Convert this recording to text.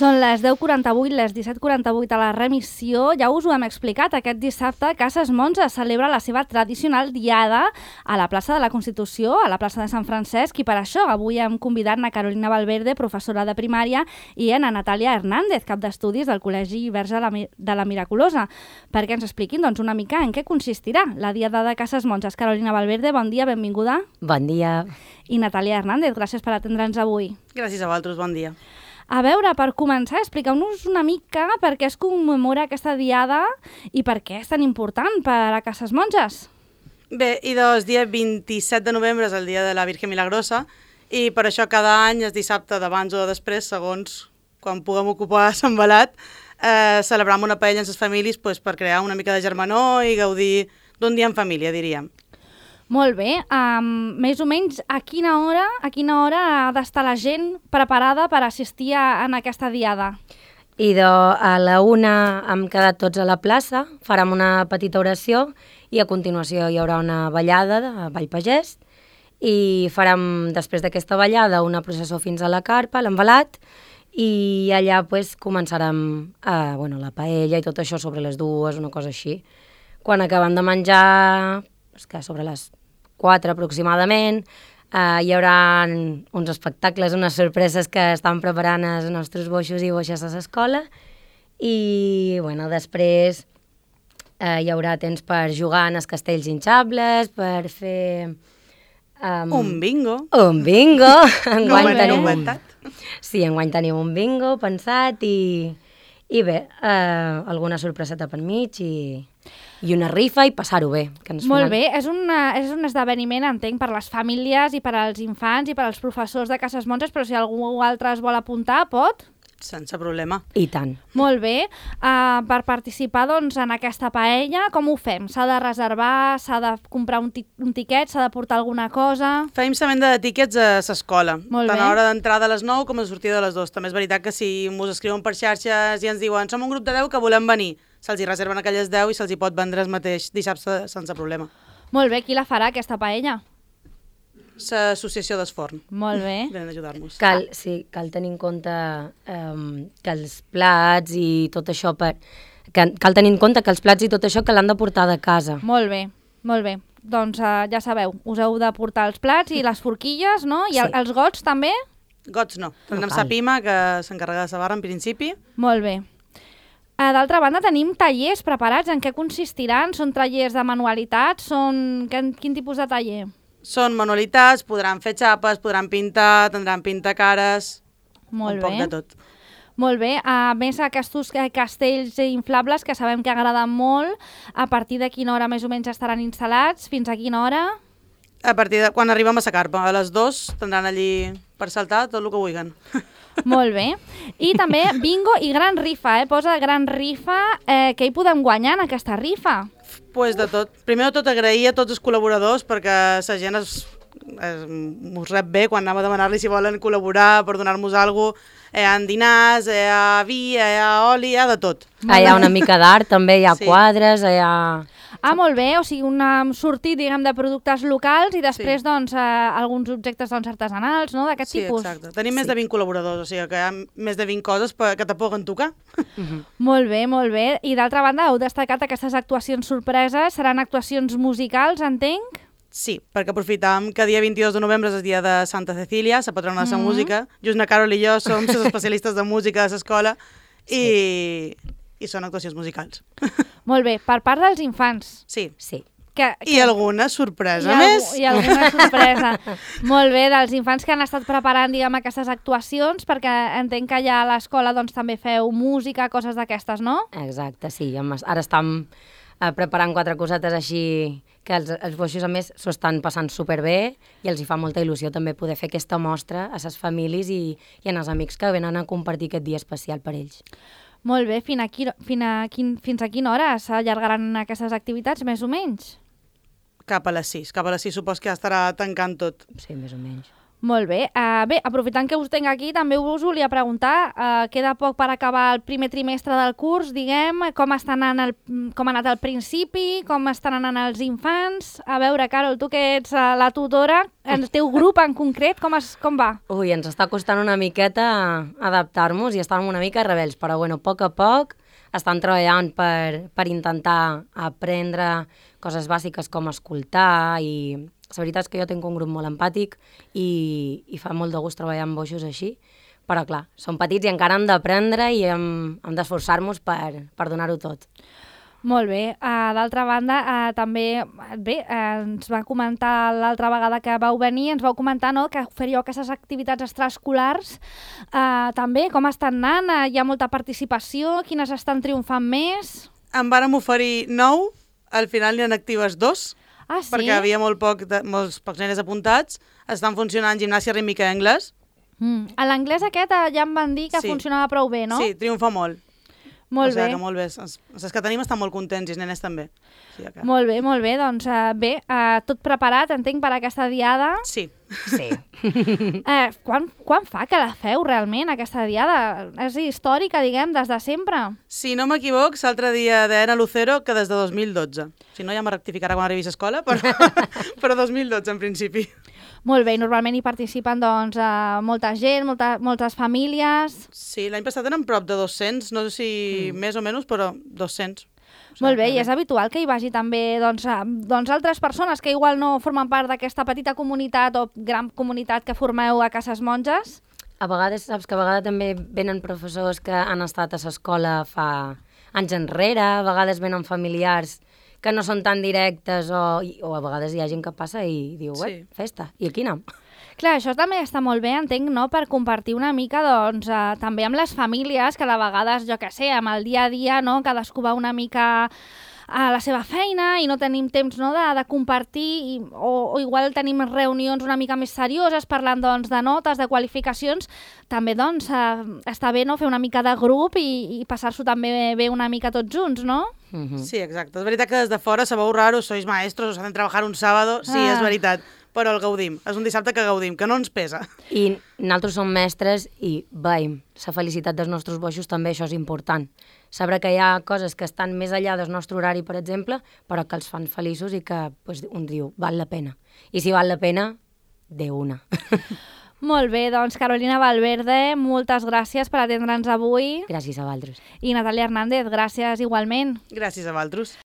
Són les 10:48, les 17:48 a la remissió. Ja us ho hem explicat, aquest dissabte Cases Monges celebra la seva tradicional diada a la plaça de la Constitució, a la plaça de Sant Francesc, i per això avui hem convidat a Carolina Valverde, professora de primària, i a Natàlia Hernández, cap d'estudis del Col·legi Verge de la Miraculosa, perquè ens expliquin una mica en què consistirà la diada de Cases Monges. Carolina Valverde, bon dia, benvinguda. Bon dia. I Natàlia Hernández, gràcies per atendre'ns avui. Gràcies a vosaltres, bon dia. A veure, per començar, expliqueu-nos una mica per què es commemora aquesta diada i per què és tan important per a Cases Monges. Bé, i el dia 27 de novembre és el dia de la Virgen Milagrosa i per això cada any és dissabte d'abans o de després, segons quan puguem ocupar Sant Belat, celebram una paella amb les famílies per crear una mica de germanor i gaudir d'un dia en família, diríem. Molt bé. Més o menys a quina hora ha d'estar la gent preparada per assistir en aquesta diada? A la 1 hem quedat tots a la plaça, farem una petita oració i a continuació hi haurà una ballada de Ball Pagès i farem després d'aquesta ballada una processó fins a la carpa, l'envelat, i allà començarem la paella i tot això sobre les 2, una cosa així. Quan acabem de menjar, que sobre les 4 aproximadament, hi haurà uns espectacles, unes sorpreses que estan preparant els nostres boixos i boixes a l'escola i després hi haurà temps per jugar en els castells hinxables, per fer... un bingo. Un bingo! Enguany tenim un bingo pensat i bé, alguna sorpreseta per mig i una rifa i passar-ho bé. Molt bé, és un esdeveniment, entenc, per les famílies i per als infants i per als professors de Cases Monges, però si algú altre es vol apuntar, pot? Sense problema. I tant. Molt bé. Per participar en aquesta paella, com ho fem? S'ha de reservar, s'ha de comprar un tiquet, s'ha de portar alguna cosa? Fem la venda de tíquets a l'escola, tant a l'hora d'entrada a les 9 com a sortida a les 2. També és veritat que si ens escriuen per xarxes i ens diuen som un grup de 10 que volem venir, se'ls hi reserven aquelles 10 i se'ls hi pot vendre el mateix dissabte sense problema. Molt bé, qui la farà, aquesta paella? L'associació d'Esforn. Molt bé. Venen a ajudar-nos. Cal tenir en compte que els plats i tot això cal tenir en compte que els plats i tot això que l'han de portar de casa. Molt bé, molt bé. Doncs ja sabeu, us heu de portar els plats i les forquilles, no? I els gots també? Gots no. Tenim sa Pima, que s'encarrega de la barra en principi. Molt bé. D'altra banda, tenim tallers preparats. En què consistiran? Són tallers de manualitats? Quin tipus de taller? Són manualitats, podran fer xapes, podran pintar, tindran pintacares, un poc de tot. Molt bé. A més, aquests castells inflables que sabem que agraden molt, a partir de quina hora més o menys estaran instal·lats? Fins a quina hora? A partir de quan arribem a la carpa, a les 2 tindran allí per saltar tot el que vulguin. Molt bé. I també bingo i gran rifa, Posa gran rifa. Què hi podem guanyar en aquesta rifa? Pues de tot. Primer de tot agrair a tots els col·laboradors perquè la gent ens rep bé quan anem a demanar-li si volen col·laborar per donar-nos alguna cosa. Hi ha dinars, hi ha vi, hi ha oli, hi ha de tot. Hi ha una mica d'art també, hi ha quadres, hi ha... Molt bé, o sigui, un sortit, diguem, de productes locals i després, alguns objectes artesanals, no?, d'aquest tipus. Sí, exacte. Tenim més de 20 col·laboradors, o sigui que hi ha més de 20 coses que te puguen tocar. Molt bé, molt bé. I d'altra banda, heu destacat aquestes actuacions sorpreses. Seran actuacions musicals, entenc? Sí, perquè aprofitam que dia 22 de novembre és el dia de Santa Cecília, la patrona de la música. Just na Carol i jo som les especialistes de música de l'escola i són actuacions musicals. Molt bé, per part dels infants. Sí. I alguna sorpresa més. I alguna sorpresa. Molt bé, dels infants que han estat preparant, diguem, aquestes actuacions, perquè entenc que allà a l'escola també feu música, coses d'aquestes, no? Exacte, sí. Ara estem preparant 4 cosetes així que els boixos, a més, s'ho estan passant superbé i els hi fa molta il·lusió també poder fer aquesta mostra a les famílies i als amics que venen a compartir aquest dia especial per ells. Molt bé, fins a quina hora s'allargaran aquestes activitats, més o menys? Cap a les 6. Cap a les 6 supos que ja estarà tancant tot. Sí, més o menys. Molt bé. Bé, aprofitant que us tinc aquí, també us volia preguntar, queda poc per acabar el primer trimestre del curs, diguem, com ha anat el principi, com estan anant els infants. A veure, Carol, tu que ets la tutora, el teu grup en concret, com va? Ui, ens està costant una miqueta adaptar-nos i estem una mica rebels, però bueno, a poc estan treballant per intentar aprendre coses bàsiques com escoltar i la veritat és que jo tinc un grup molt empàtic i fa molt de gust treballar amb boixos així, però clar, som petits i encara hem d'aprendre i hem d'esforçar-nos per donar-ho tot. Molt bé. D'altra banda, també ens va comentar l'altra vegada que vau venir, ens vau comentar que faríeu aquestes activitats extraescolars. També, com estan anant? Hi ha molta participació? Quines estan triomfant més? En vàrem oferir 9, al final n'hi ha actives 2, Ah, sí? perquè havia molts pocs nenes apuntats. Estan funcionant gimnàsia rítmica i anglès. A l'anglès aquest ja em van dir que funcionava prou bé, no? Sí, triomfa molt. Molt bé. O sigui que molt bé. Els que tenim estan molt contents i els nenes també. O sigui que... Molt bé. Doncs tot preparat, entenc, per aquesta diada. Sí. Sí. Quan fa que la feu realment, aquesta diada? És històrica, diguem, des de sempre? Si no m'equivoc, l'altre dia deien a Lucero que des de 2012. Si no, ja me rectificarà quan arribi a escola, però 2012 en principi. Molt bé, normalment hi participen doncs, molta gent, moltes famílies. Sí, l'any passat eren prop de 200, no sé si més o menys, però 200. Molt bé, i és habitual que hi vagi també doncs, altres persones que igual no formen part d'aquesta petita comunitat o gran comunitat que formeu a Cases Monges? A vegades, saps que a vegades també venen professors que han estat a l'escola fa anys enrere, a vegades venen familiars que no són tan directes o a vegades hi ha gent que passa i diu, festa, i aquí anem. Clar, això també està molt bé, entenc, no?, per compartir una mica, doncs, també amb les famílies, que de vegades, jo què sé, amb el dia a dia, no?, cadascú va una mica a la seva feina i no tenim temps, no?, de compartir o igual tenim reunions una mica més serioses parlant, doncs, de notes, de qualificacions. També, doncs, està bé, no?, fer una mica de grup i passar-s'ho també bé una mica tots junts, no? Sí, exacte. És veritat que des de fora sabeu raros, sois maestros, os hacen trabajar un sábado. Sí, és veritat. Però el gaudim. És un dissabte que gaudim, que no ens pesa. I nosaltres som mestres i veiem la felicitat dels nostres boixos també, això és important. Saber que hi ha coses que estan més enllà del nostre horari, per exemple, però que els fan feliços i que pues, un diu, val la pena. I si val la pena, de una. Molt bé, doncs Carolina Valverde, moltes gràcies per atendre'ns avui. Gràcies a vosaltres. I Natàlia Hernández, gràcies igualment. Gràcies a vosaltres.